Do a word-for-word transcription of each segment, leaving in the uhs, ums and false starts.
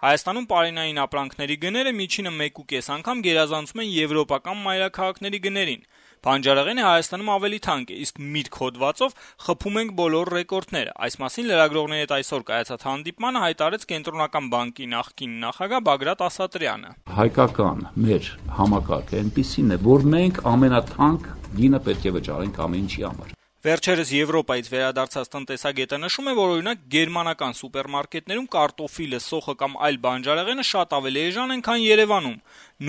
Հայաստանում պարենային ապրանքների գները միջինը մեկ ու կես անգամ գերազանցում են եվրոպական մայրաքաղաքների գներին։ Բանջարեղենը Հայաստանում ավելի թանկ է, իսկ միրգ հոդվածով խփում ենք բոլոր ռեկորդները։ Այս մասին լրագրողների հետ այսօր կայացած հանդիպմանը հայտարարեց Կենտրոնական բանկի նախկին նախագահ Բագրատ Ասատրյանը։ Հայկական մեր համակարգը այնպիսին է, որ մենք ամենաթանկ գինը պետք է վճարենք ամեն ինչի համար։ Վերջերս Եվրոպայից վերադարձած տնտեսագետը նշում է, որ օրինակ գերմանական սուպերմարկետներում կարտոֆիլը, սոխը կամ այլ բանջարեղենը շատ ավելի էժան են, քան Երևանում։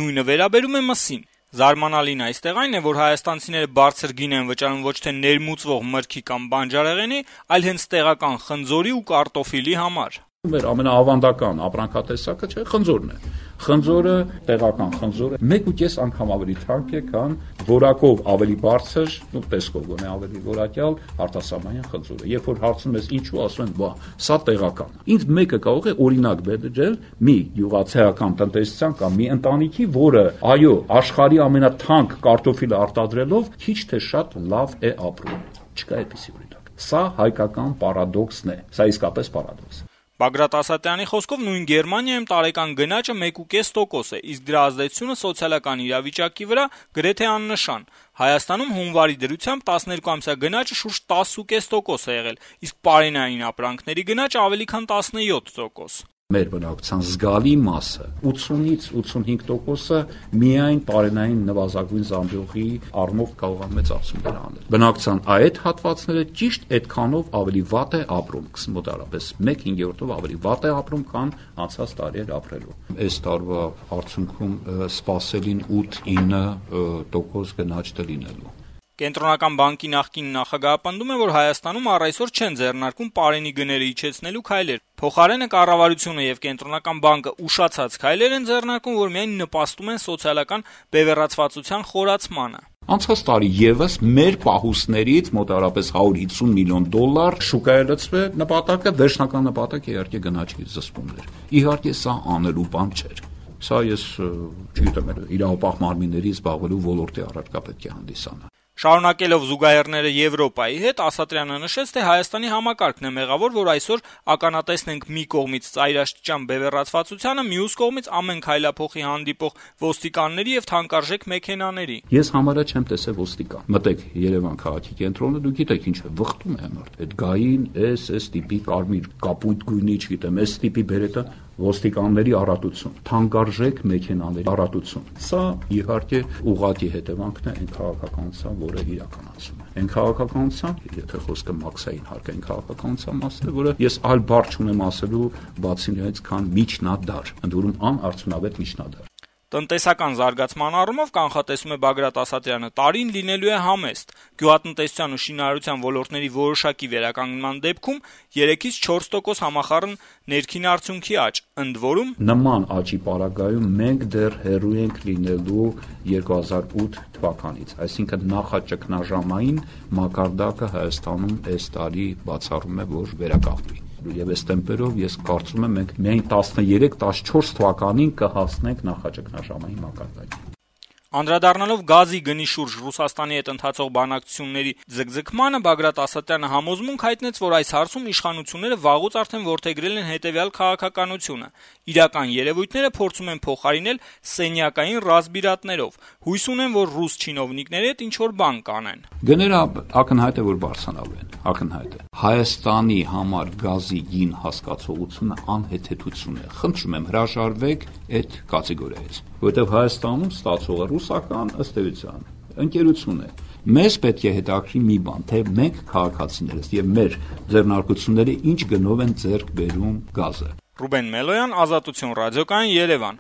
Նույնը վերաբերում է մսին։ Զարմանալին այստեղ այն է, որ հայաստանցիները բարձր գին են վճարում ոչ թե ներմուծվող մրգի կամ բանջարեղենի, այլ հենց տեղական խնձորի ու կարտոֆիլի համար։ Մեր ամենաավանդական ապրանքատեսակը չէ, խնձորն է։ Խնձորը, տեղական խնձորը մեկ ու կես անգամ ավելի թանկ է, քան որակով ավելի բարձր, ու տեսքով գոնե ավելի որակյալ արտասահմանյան խնձորը։ Երբ որ հարցնում ես ինչու, ասում են, բա, սա տեղական է։ Ինձ մեկը կարող է օրինակ բերել մի յուղացիական տնտեսության կամ մի ընտանիքի, որը, այո, աշխարհի ամենաթանկ կարտոֆիլը արտադրելով քիչ թե շատ լավ է ապրում։ Չկա այդպիսի օրինակ։ Սա հայկական պարադոքսն է։ Սա իսկապես պարադոքս է։ Բագրատ Ասատրյանի խոսքով նույն Գերմանիայում տարեկան գնաճը մեկ ու կես տոկոս է, իսկ դրա ազդեցությունը սոցիալական իրավիճակի վրա գրեթե աննշան։ Հայաստանում հունվարի դրությամբ տասներկու ամսյա գնաճը շուրջ տասը ու կես տոկոս է եղել, իսկ պարենային ապրանքների գնաճը ավելի քան տասնյոթ տոկոս։ Մեր բնակչության զգալի մասը ութսունից ութսունհինգ տոկոսը միայն պարենային նվազագույն զամբյուղի առումով կարող է մեծացումներ անել։ Բնակչության այդ հատվածները ճիշտ այդքանով ավելի վատ է ապրում, մոտավորապես մեկ հինգերորդով ավելի վատ է ապրում, քան անցած տարիներ ապրելու։ Այս տարվա արդյունքում սպասելին ութ ինը տոկոս գնաճ դլինելու։ Կենտրոնական բանկի նախկին նախագահը պնդում է, որ Հայաստանում առ այսօր չեն ձեռնարկում պարենի գները իջեցնելու քայլեր։ Փոխարենը կառավարությունը եւ Կենտրոնական բանկը ուշացած քայլեր են ձեռնարկում, որ միայն նպաստում են սոցիալական բևեռացվածության խորացմանը։ Անցած տարի եւս մեր պահուստներից մոտավորապես հարյուր հիսուն միլիոն դոլար շուկայի լցվեց, նպատակը վերջնական նպատակը իհարկե գնաճի զսպումն էր։ Իհարկե սա անելու բան չէր։ Սա ես չգիտեմ, իրավապահ մարմինների զբաղվելու ոլորտի առարկա պետք է հանդիսանա։ Շարունակելով զուգահեռները Եվրոպայի հետ, Ասատրյանը նշեց, թե Հայաստանի համակարգն է մեղավոր, որ այսօր ականատեսն ենք մի կողմից ծայրաստիճան բևեռացվածությանը, մյուս կողմից ամեն քայլափոխի հանդիպող ոստիկանների եւ թանկարժեք մեքենաների։ Ես համարը չեմ տեսել ոստիկան։ Մտեք Երևան քաղաքի կենտրոնը, դուք գիտեք ինչ է, վխտում է մարդ։ Այդ գային, էս, էս տիպի կարմիր, կապույտ գույնի, չգիտեմ, էս տիպի բերետը ոստիկանների առատություն, թանկարժեք մեքենաների առատություն։ Սա իհարկե ուղղակի հետևանքն է այն քաղաքականության, որը իրականացում է։ Այն քաղաքականության, եթե խոսքը մաքսային հարկային քաղաքականության մասն է, որը ես այլ բառ չունեմ ասելու բացի նրանից, քան միջնադար, ընդ որում անարդյունավետ միջնադար։ Տնտեսական զարգացման առումով կանխատեսում է Բագրատ Ասատրյանը, տարին լինելու է համեստ։ Գյուղատնտեսության ու շինարարության ոլորտների որոշակի վերականգնման դեպքում երեքից չորս տոկոս համախառն ներքին արդյունքի աճ, ընդ որում նման աճի պարագայում մենք դեռ հեռու ենք լինելու երկու հազար ութ թվականից, այսինքն նախաճգնաժամային մակարդակը Հայաստանում այս տարի բացառում է, որ վերականգնվի։ Եվ այս տեմպերով ես կարծում եմ մենք միայն տասներեք տասնչորս թվականին կհասնենք նախաճգնաժամային մակարդակին։ Անդրադառնալով գազի գնի շուրջ Ռուսաստանի հետ ընթացող բանակցությունների ձգձգմանը, Բագրատ Ասատրյանը համոզմունք հայտնեց, որ այս հարցում իշխանությունները վաղուց արդեն որդեգրել են հետևյալ քաղաքականությունը. իրական երևույթները փորձում են փոխարինել սենյակային ռազմիրատներով, հույս ունեն, որ ռուս չինովնիկների հետ ինչ-որ բան կանեն։ Գները ակնհայտ է, որ բարձրանալու են, ակնհայտ է։ Հայաստանի համար գազի գին հասկացողությունը անհեթեթություն է։ Խնդրում եմ հրաժարվեք այդ կատեգորիայից, որովհետև Հայաստանում ստացողը ռուսական ըստ էության ընկերություն է։ Մեզ պետք է հետաքրի մի բան, թե մենք քաղաքացիներս եւ մեր ձեռնարկությունները ինչ գնով են ձեռք բերում գազը։ Ռուբեն Մելոյան, Ազատություն ռադիոկայան, Երևան։